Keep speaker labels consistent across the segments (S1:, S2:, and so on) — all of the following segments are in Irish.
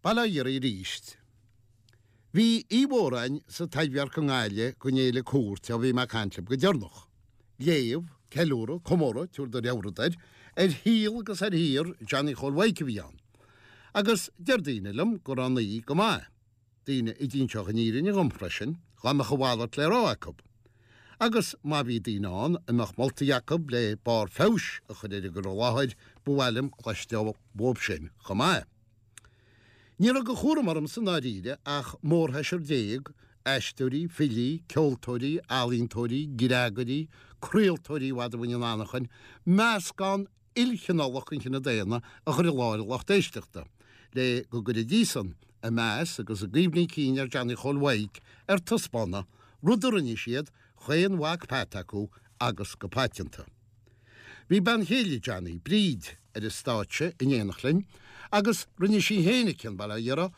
S1: Bail ó Dhia oraibh arís. Bhí oíche mhór againn sa Taibhdhearc i nGaillimh don fhéile Cúirt ó bhí mé ag caint libh go deireanach. Léamh, ceiliúradh, comóradh, tabhair do rogha rud air, ar shaol agus ar shaothar Johnny Chóil Mhaidhc a bhí ann. Agus deir daoine liom go raibh an oíche go maith. Daoine a d'inseodh an fhírinne dhom freisin, dá mbeadh a mhalairt le rá acu. Agus má bhí daoine ann a mbeadh moltaí acu le barr feabhais a chur ar an gcur i láthair, ba mhaith liom cloisteáil uathub sin chomh maith. Ní raibh de chúram ormsa i ndáiríre ach mórsheisear aisteoirí, filí, ceoltóirí, ealaíontóirí, gréagairí, craoltóirí i bhfad a bhain an anachain, meascán ilchineálach den chine daonna a chur i láthair an lucht éisteachta, le go gcuirfidís-san a meas agus a gcuimhní cinn ar Johnny Chóil Mhaidhc ar taispeánadh, rud a rinne siad, chaon mhac peat acu agus go paiteanta. Bhí bean chéile Johnny, Bríd, ar an stáitse in éineacht linn agus rinne sí féin a cion, bail ó Dhia uirthi,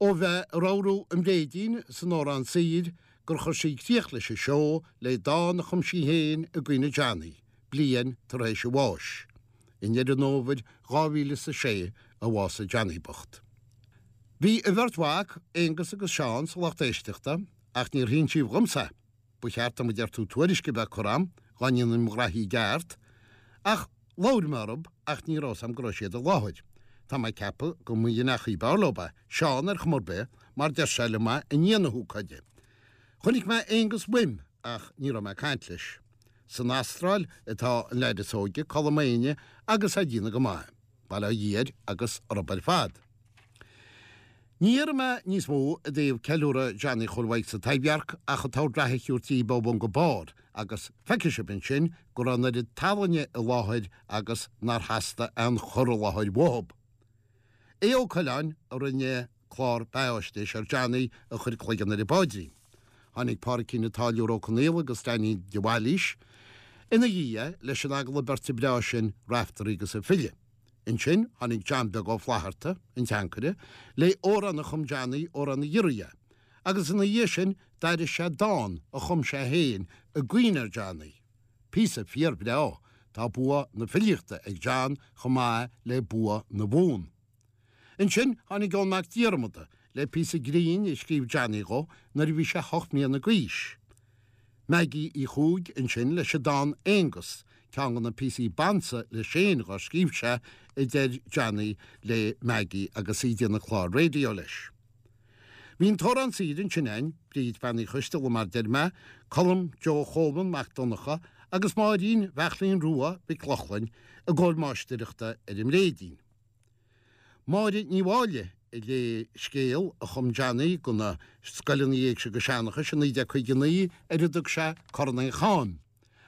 S1: ó bheith ag ramhrú an bhréidín san Órán Saor gur chuir sí críoch leis an seó le dán a chum sí féin i gcuimhne Johnny, bliain tar éis a bháis. I nDeireadh an Fhómhair 2006 a bhásaigh Johnny bocht. Bhí a bheirt mhac, Aonghus agus Seán, sa lucht éisteachta, ach níor hinsíodh dhomsa é. Ba cheart dom a deir tú tuairisc a bheith curtha a'm, dhá ndéanfainn mo ghraithí i gceart. Ach labhair mé orthub ach ní raibh 's a'm go raibh siad i láthair. Tá mé ag ceapadh go mba dhein achaí b'fhearr leob é, Seán ar chuma ar bith, mar deir sé liom é i ndiaidh na hócáide. Chonaic mé Aonghus uaim ach ní raibh mé ag caint leis. San Astráil atá an leaid is óige, Colm Éinne, agus é ag déanamh go maith. Bail ó Dhia air agus orthub ar fad. Ní dhéarfaidh mé níos mó i dtaobh ceiliúradh Johnny Chóil Mhaidhc sa Taibhdhearc ach an t-ord reatha a thabhairt daoibh ó bhun go barr agus feicfidh sibh ansin go raibh an oiread tallainne i láthair agus nár theastaigh aon chur i láthair uathub. Aodh Ó Coileáin a rinne clár beathaisnéis ar Johnny a chuir cloigeann ar an bpáidrín. Tháinig Pádraicín an Táilliúir Ó Conaola agus Danny de Bhailís ina dhiaidh leis an agallamh beirte breá sin Raiftearaí agus an File. Ansin tháinig John Beag Ó Flaithearta, an teancaire, le amhrán a chum Johnny, Amhrán na Giorria, agus ina dhiaidh sin d'aithris sé dán a chum sé féin i gcuimhne ar Johnny. Píosa fíorbhreá, tá bua na filíochta ag John chomh maith le bua na bhfonn. Ansin tháinig Eoin Mac Diarmada le píosa grinn a scríobh Johnny dhó nuair a bhí sé hocht mbliana d'aois. Maggie Uí Chuaig ansin leis an dán Aonghus, ceann de na píosaí b'ansa leis féin dhár scríobh sé, a deir Johnny le Maggie agus í ag déanamh clár raidió leis. Bhí an t-órán saor ansin againn, Bríd Bean Uí Choisteala mar deir mé, Colm Joe Cholman Mac Donncha agus Máirín Bheachlín Rua Mhic Lochlainn i gcomhair máistireachta ar an mbréidín. Máire Ní Mháille a léigh scéal a chum Johnny do na scoileanna éigse agus seanchais i 1959 ar a dtug sé Corn an Chaim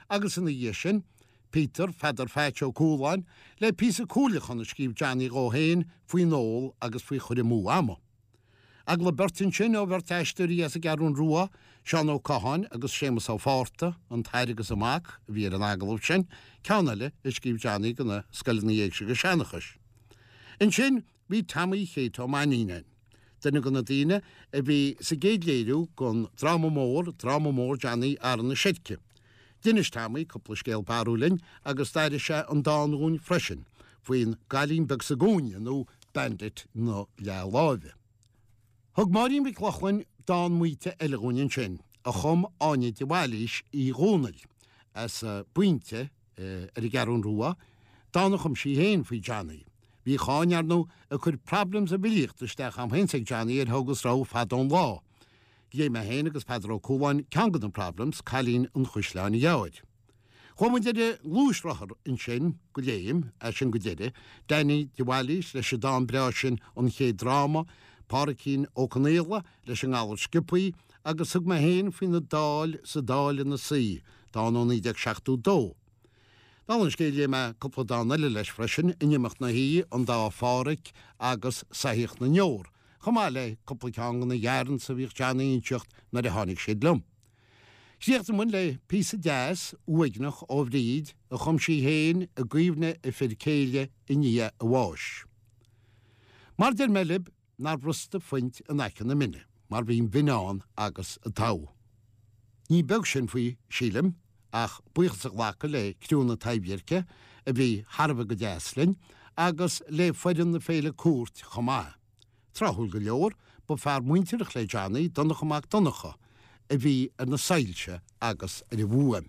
S1: agus ina dhiaidh sin Peter Pheadar Pheaits Ó Cualáin le píosa cuailleachán a scríobh Johnny dhó féin faoin ól agus faoi chur amú ama. Agallamh beirte ansin ó bheirt aisteoirí as an gCeathrún Rua, Seán Ó Catháin agus Séamus Ó Fátharta, an t-athair agus an mac, a bhí ar an agallamh sin, ceann eile a scríobh Johnny do na scoileanna éigse agus seanchais. Ansin bhí Tommy Chéit Ó Mainnín ann, duine de na daoine a bhí sa gcéad léiriú den dráma mór, Dráma Mór Johnny Arán na Seirce. D'inis Tommy cúpla scéal barrúil linn agus d'aithris sé an dán dhúinn freisin, faoin gcailín beag sa gcúinne nó Bandit na Leathláimhe. Thug Máirín Mhic Lochlainn dán maoite eile dhúinn ansin, a chum Áine de Bhailís Uí Dhomhnaill, as an bPointe ar an gCeathrún Rua, dán a chum sí féin faoi Johnny. Bhíodh Áine, ar ndóigh, ag cur problems i bhfilíocht isteach a'm féin 's ag Johnny ar thugas rogha fada ón lá. Léigh mé féin agus Peadar Ó Cualáin ceann de na problems, Cailín an Chaisleáin Ghearr. Chuaigh muid ar an ngluaisrothar ansin go léim, as sin go deireadh, Danny de Bhailís leis an dán breá sin An Chéad Dráma, Pádraicín Ó Conaola leis an nGalar Sciobthaí agus thug mé féin faoina Dáil sa Dáil ina suí, dán ó 1972. Dála an scéil léigh mé cúpla dán eile leis freisin, In Imeacht na hOíche, An Dá Phádhraic agus Soitheach na nDeor, chomh maith le cúpla ceann de na yarns a bhíodh Johnny a inseacht nuair a tháinig siad liom. Chríochnaigh muid le píosa deas, uaigneach ó Bhríd a chum sí féin i gcuimhne a fir céile i ndiaidh a bháis. Mar deir mé libh nár bhrosta phuint in aice na mine mar bhí an mhin ann agus an togha. Ní beag sin faoi, sílim, ach buíochas a ghlacadh le criú na Taibhdheirce a bhí thar a bheith go deas linn agus le foireann na féile Cúirt chomh maith. Tráthúil go leor, ba fear muintearach le Johnny, Donncha Mac Donncha, a bhí ar na soilse agus ar an bhfuaim.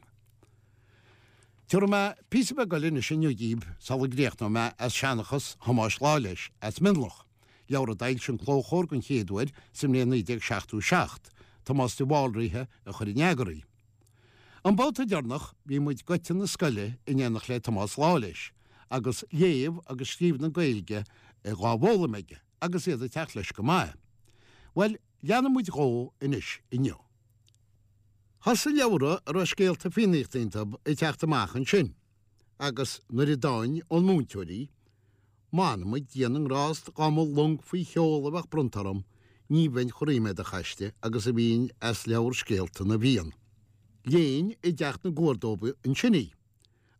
S1: Tabharfaidh mé píosa beag eile anois inniu díbh sula gcríochnóidh mé as Seanchas Thomáis Lawless as Mionlach, leabhar a d'fhoilsigh an Clóchomhar den chéad uair sa mbliain 1977, Tomás de Bhalraithe a chuir in eagar í. An babhta deireanach bhí muid goite na scoile in éineacht le Tomás Lawless agus léamh agus scríobh na Gaeilge dhá bhfoghlaim aige agus iad ag teacht leis go maith. Bhuel, leanfaidh muid dhó anois inniu. Thosaigh leabhra a raibh scéalta Fiannaíochta iontu ag teacht amach ansin agus nuair a d'fhaighinn ón múinteoir í, M'anam ag Dia na nGrást dá mba long faoi sheol a bheadh bronnta orm, ní bheinn chomh ríméadach aisti agus a bhínn as leabhar scéalta na bhFiann. Léinn i dteach na gcuar dóibh ansin í.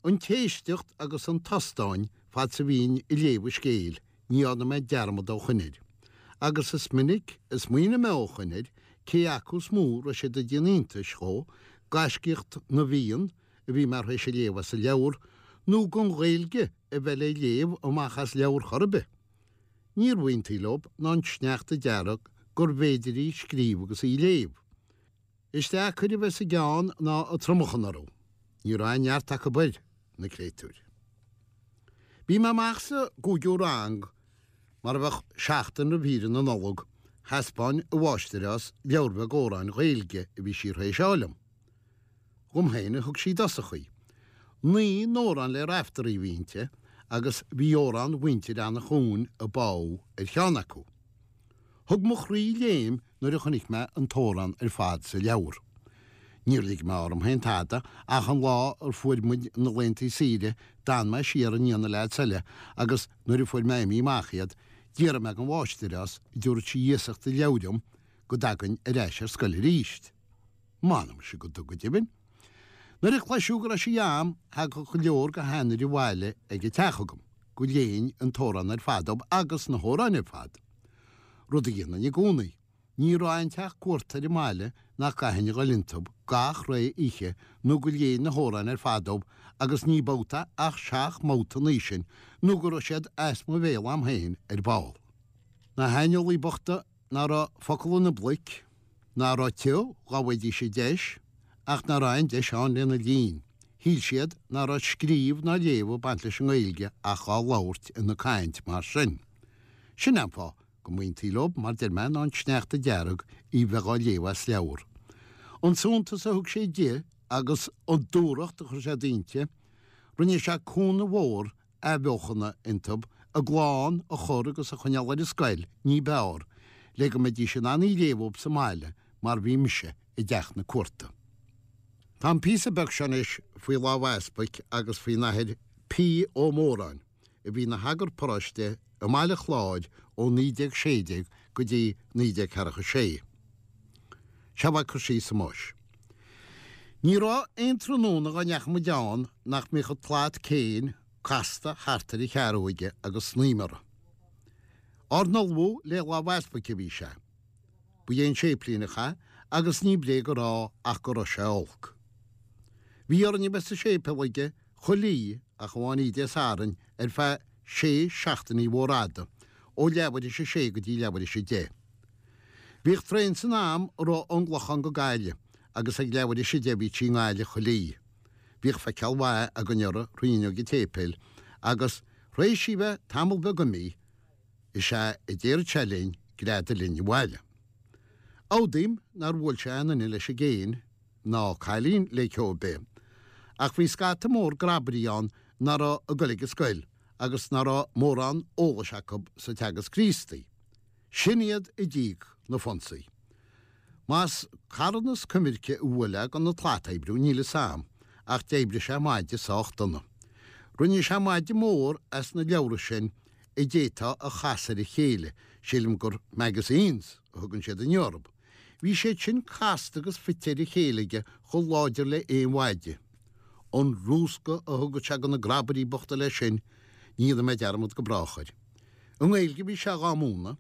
S1: An t-éisteacht agus an tostán fad 's a bhínn ag léamh an scéil, ní dhearna mé dearmad ó shoin air. Agus is minic a smaoinigh mé ó shoin air cé acu is mó raibh siad ag déanamh iontais dhó, gaiscíocht na bhFiann a bhí mé th'éis a léamh as an leabhar, nó gon Ghaeilge a bheith le léamh amach as leabhar chor ar bith. Níorbh iontaí leob ná an sneachta dearg gurbh fhéidir í scríobh agus í léamh. Is deacair a bheith sa gceann ná ag tromachan orthu. Ní raibh aon neart acu air, na créatúir. Bhí mé amach sa gcúigiú rang, mar a bheadh seachtain roimh shaoire na Nollag, thaispeáin an mháistreás leabhar beag amhráin Ghaeilge a bhí sí th'éis fháil dom. Dhom féin a thug sí i dtosach í. 9 n-amhrán le Raiftearaí a bhí inti agus bhí amhrán mhuintir Eanach Dhúin ag bádh ar cheann acu. Thug mo chroí léim nuair a chonaic mé an t-amhrán ar fad sa leabhar. Níor lig mé orm féin tada ach an lá ar fuair muid na laethantaí saoire d'fhan mé siar i ndiaidh na leaids eile agus nuair a fuair mé imithe amach iad d'fhiafraigh mé den mháistreás an dtabharfadh sí iasacht an leabhair dhom go dtagainn ar ais ar scoil arís. M'anam ise go dtug go deimhin. Nuair a cloiseadh go raibh sí a'm thagadh go leor go hainnir abhaile ag an teach agam go léinn an t-amhrán ar fad dóibh agus na hamhráin ar fad. Rud a dhéanainn i gcónaí. Ní raibh aon teach cuarta ar an mbaile nach gcaithfinn a dhul iontub gach ré oíche nó go léinn na hamhráin ar fad dóibh agus ní babhta ach seacht mbabhta an oíche sin nó go raibh siad as mo bhéal a'm féin ar ball. Na haineolaigh bochta ná raibh focal ina bpluic, ná raibh tiubh dhá bhfaighidís an deis, ach ná raibh aon deis ann lena linn. Shíl siad ná raibh scríobh ná léamh ag baint leis an nGaeilge ach dhá labhairt ina caint mar sin. Sin an fáth go mb'iontaí leob, mar deir mé, ná an sneachta dearg í bheith dhá léamh as leabhar. An suntas a thug sé di agus an dúthracht a chuir sé inti, rinne sé cúnamh mhór athbheochana iontub, a gclann a chur agus a choinneáil ar an scoil ní b'fhearr, le go mbeidís in ann í léamh dhób sa mbaile mar bhí mise i dteach na cuarta. Tá an píosa beag seo anois faoi lámh easpaig agus faoin Athair P. Ó Móráin, a bhí ina shagart paróiste i mBaile Chláir ó 1916 go dtí 1946. Seo é ag cur síos Thomáis. Ní raibh aon tráthnóna dhá ndeachaigh muid ann nach mbíodh an tslat céin casta thart ar a chearúg aige agus snaidhm uirthi. Ár n-ullmhú le lámh easpaig a bhí sé. Ba é an séiplíneach é agus ní bréag a rá ach go raibh sé olc. Bhí orainn a bheith sa séipéal aige chuile oíche ach amháin oíche Dé Sathairn ar feadh sé seachtainí mhóra fhada, ó leathuair théis a sé go dtí leathuair théis a deich. Bhíodh traein san am a rith ón gClochán go Gaillimh agus ag leathuair théis a deich bhíodh sí i nGaillimh chuile oíche. Bhíodh feiceáil mhaith againn uirthi thrí fhuinneog an tséipéil agus, th'éis í bheith tamall beag imithe, is ea a déarfadh sé linn greadadh linn abhaile. Admhaím nár bhuail sé aon duine leis an gcéin, ná cailín le ceo ar bith, ach bhí scata mór grabairí ann ná raibh ag goil ag an scoil agus ná raibh mórán eolais acu sa Teagasc Críostaí. Sin iad a d'íoc na fonsaí. Más carthanas coimirce a bhuail é gan an tslat a oibriú, níl fhios a'm, ach d'oibrigh sé maide sách dona. Rinne sé maide mór as na leabhra sin a d'fhéadfá a chasadh ar a chéile, sílim gur magazines a thugann siad inniu orthu. Bhí siad sin casta agus fite ar a chéile aige chomh láidir le aon mhaide. An rúscadh a thugadh sé do na grabairí bochta leis sin, ní dhéanfaidh mé dearmad go brách air. I nGaeilge a bhí sé dhá múineadh,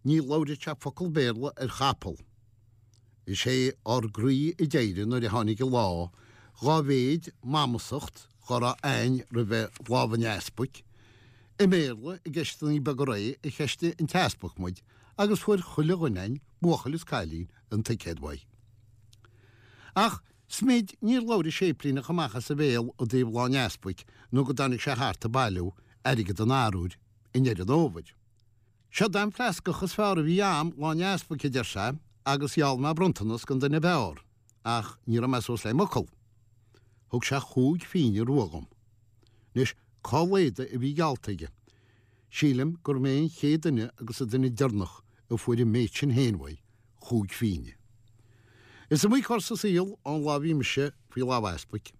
S1: ní labhradh sé focal Béarla ar chapall. Is é ár gcroí a d'éirigh nuair a tháinig an lá, dhá mhéid mamasacht dhá raibh a'ainn roimhe lámh an easpaig. I mBéarla, i gceisteannaí beaga réidh, a cheistigh an t-easpag muid. Agus fuair chuile dhuine a'inn, buachaill is cailín, an ticéad uaidh. Ach smid níor labhair an séiplíneach amach as a bhéal i dtaobh Lá an Easpaig nó go dtáinig sé thart ag bailiú airgead an arbhair i ndeireadh an fhómhair. Seod é an fleascach is fearr a bhí a'am Lá an Easpaig, a deir sé, agus gheall mé bronntanas don duine ab fhearr, ach ní raibh mé suas le m'fhocal. Thug sé chúig phínne rua dhom. Anois, cá laghad a bhí geallta aige? Sílim gurbh mé an chéad duine agus an duine deireanach a fuair an méid sin féin uaidh, chúig phínne. Is iomaí cor sa saol ón lá a bhí mise faoi lámh easpaig.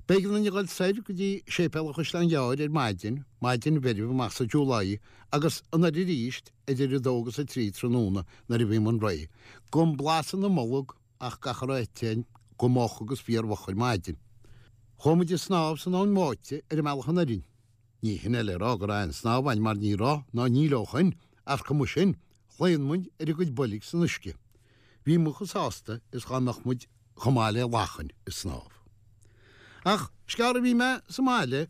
S1: B'éigean dúinn a dhul soir go dtí séipéal an Chaisleáin Ghearr ar maidin, maidin mheirbh amach sa July, agus anoir arís idir a dó agus a trí tráthnóna nuair a bhí muinn réidh, gan blas ina mbolg ach gach a raibh ite a'inn go moch agus fíormhoch ar maidin. Chuaigh muid ag snámh san abhainn bháite ar an mbealach anoir. Ní hin é le rá go raibh aon snámh a'inn mar ní raibh ná níl ó shoin, ach cuma sin, Chlaon muid ar ár gcuid boilg san uisce. Bhí muid chomh sásta is dhá mbeadh muid chomh maith le lachain ag snámh. Ach is gearr a bhí mé sa mbaile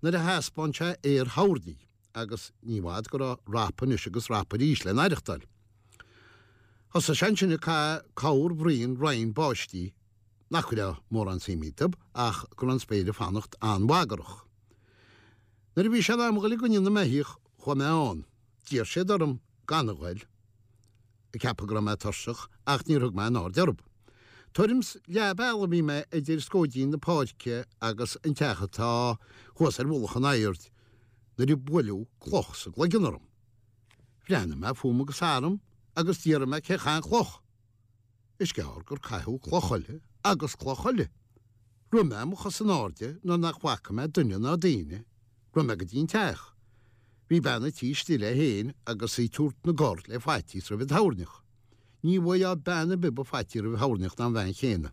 S1: nuair a thaispeáin sé aer thoirní agus ní i bhfad go raibh rap anois agus rap arís le n-aireachtáil. Thosaigh sé ansin ag caitheamh corr bhraon raon báistí nach raibh mórán suim iontu ach go raibh an spéir ag fanacht an-bhagrach. Nuair a bhí sé in am a dhul i gcoinne na mbeithíoch chuaigh mé ann. D'iarr siad orm gan a ghoil, ag ceapadh go raibh mé tuirseach, ach níor thug mé aon aird orthu. Tuairim's leath bealaigh a bhí mé idir scóidín na páirce agus an teach atá thuas ar mhullach an aird nuair a buaileadh cloch sa gcloigeann orm. Bhreathnaigh mé fúm agus tharam agus d'fhiafraigh mé cé chaith an chloch. Is gearr gur caitheadh cloch eile agus cloch eile. Rith mé mo chos in airde nuair nach bhfaca mé duine ná daoine. Rith mé go dtí an teach. Bhí bean an tí istigh léi féin agus í ag tabhairt na gcor le faitíos roimh an toirneach. Ní bhfaighfeá bean ar bith ba fhaití roimh thoirneach ná an bhean chéanna.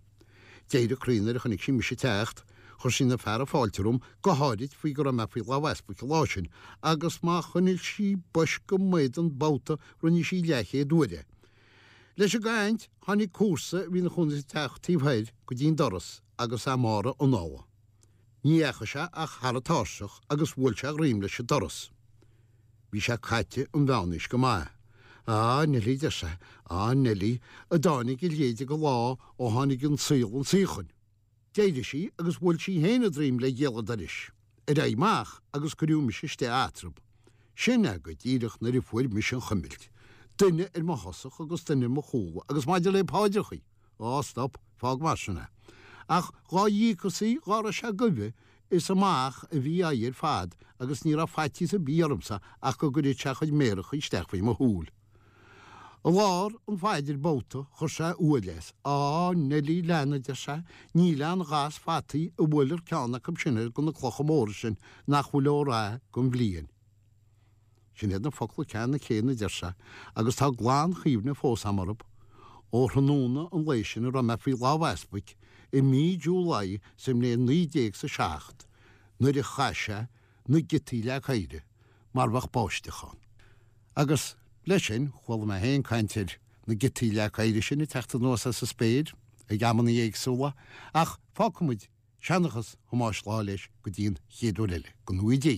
S1: D'éirigh a croí nuair a chonaic sí mise ag teacht. Chuir sí ina fearadh fáilte romham, go háirid faoi go raibh mé faoi lámh easpaig an lá sin, agus má choinnigh sí bois go m'éadan babhta rinne sí leathchéad uair é. Leis an gcaint, tháinig comharsa a bhí ina chónaí sa teach taobh thoir go dtí an doras agus a mhára anála. Ní dheachaigh sé ach thar an tairseach agus bhuail sé a dhroim leis an doras. Bhí sé caite an mheánaois go maith. Á, Neilí, deir sé, á, Neilí, a dtáinig a leithéide de lá ó tháinig an saol 'un suíochain. D'éirigh sí agus bhuail sí féin a droim le gialla an dorais, ar aghaidh amach agus cuireadh mise istigh eatarthu. Sin é go díreach nuair a fuair mise an chuimilt. Duine ar mo thosach agus duine ar mo chúl agus maidir le paidreachaí, á stop, fág mar sin é. Ach dhá dhíocasaí dhá raibh sé goimhe, is amach a bhí a aghaidh ar fad agus ní raibh faitíos ar bith ormsa ach go gcuirfeadh sé a chuid méarachaí isteach faoi mo shúil. I lár an phaidir babhta chuir sé uail as. Á, Neilí lean, a deir sé, níl aon ghas fataí a bhuailfear ceann acu sin ar de na clocha móra sin nach bhfuil ó rath don bhliain. Sin iad na focla ceannann céanna, a deir sé, agus tá glan-chuimhne fós a'm orthu ó thráthnóna an lae sin a raibh mé faoi lámh easpaig i mí July sa mbliain 19 's a seacht nuair a chaith sé na giotaí leac oighre mar bheadh báisteach ann. Agus leis sin, chuala mé féin caint ar na giotaí leac oighre sin ag teacht anuas as an spéir ag amanna éagsúla, ach fágfaidh muid seanchas Thomáis Lawless go dtí an chéad uair eile, go ngnóthaí Dé.